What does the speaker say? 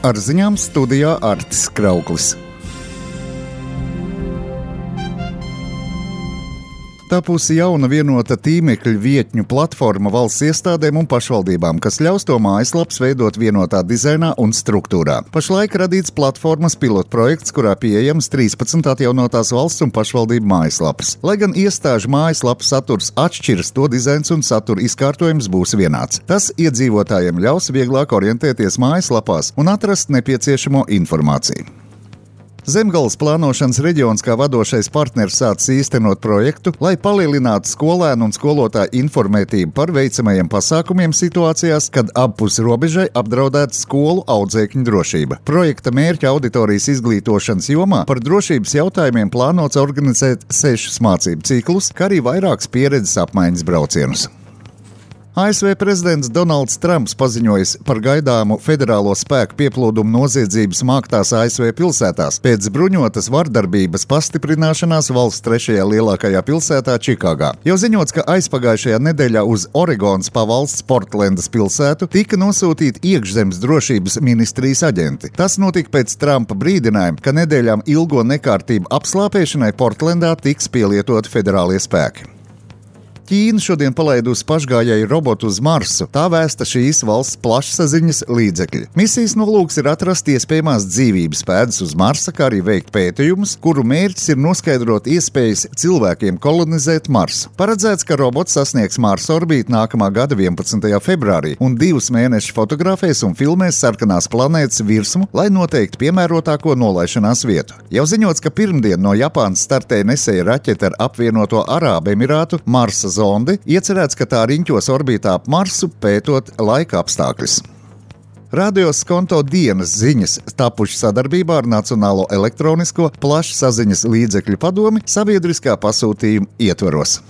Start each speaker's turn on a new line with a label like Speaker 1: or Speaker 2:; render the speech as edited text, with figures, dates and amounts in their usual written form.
Speaker 1: Ar ziņām studijā Artis Krauklis. Tapusi jauna vienota tīmekļa vietņu platforma valsts iestādēm un pašvaldībām, kas ļaus to mājaslapas veidot vienotā dizainā un struktūrā. Pašlaik radīts platformas pilotprojekts, kurā pieejams 13 atjaunotās valsts un pašvaldību mājaslapas. Lai gan iestāžu mājaslapu saturs atšķiras, to dizains un satura izkārtojums būs vienāds. Tas iedzīvotājiem ļaus vieglāk orientēties mājaslapās un atrast nepieciešamo informāciju. Zemgales plānošanas reģions kā vadošais partners sācis īstenot projektu, lai palielinātu skolēnu un skolotāju informētību par veicamajiem pasākumiem situācijās, kad appus robežai apdraudēta skolu audzēkņu drošība. Projekta mērķa auditorijas izglītošanas jomā par drošības jautājumiem plānots organizēt 6 mācību ciklus, kā arī vairākus pieredzes apmaiņas braucienus. ASV prezidents Donalds Trumps paziņojis par gaidāmu federālo spēku pieplūdumu noziedzības māktās ASV pilsētās pēc bruņotas vardarbības pastiprināšanās valsts 3. lielākajā pilsētā Čikāgā. Jau ziņots, ka aizpagājušajā nedēļā uz Oregonas pavalsts Portlendas pilsētu tika nosūtīti iekšzemes drošības ministrijas aģenti. Tas notika pēc Trumpa brīdinājuma, ka nedēļām ilgo nekārtību apslāpēšanai Portlendā tiks pielietoti federālie spēki. Ķīna šodien palaidusi pašgājēju robotu uz Marsu, tā vēsta šīs valsts plašsaziņas līdzekļi. Misijas nolūks ir atrast iespējamās dzīvības pēdas uz Marsa, kā arī veikt pētījumus, kuru mērķis ir noskaidrot iespējas cilvēkiem kolonizēt Marsu. Paredzēts, ka robots sasniegs Marsa orbītu nākamā gada 11. februārī un 2 mēnešus fotografēs un filmēs sarkanās planētas virsmu, lai noteiktu piemērotāko nolaišanās vietu. Jau ziņots, ka pirmdien no Japānas startēja nesēja raķete ar apvienoto Arābu Emirātu Marsa zondi, iecerēts, ka tā riņķos orbītā ap Marsu, pētot laika apstākļus. Radio Skonto dienas ziņas tapuši sadarbībā ar Nacionālo elektronisko plašsaziņas līdzekļu padomi sabiedriskā pasūtījuma ietvaros.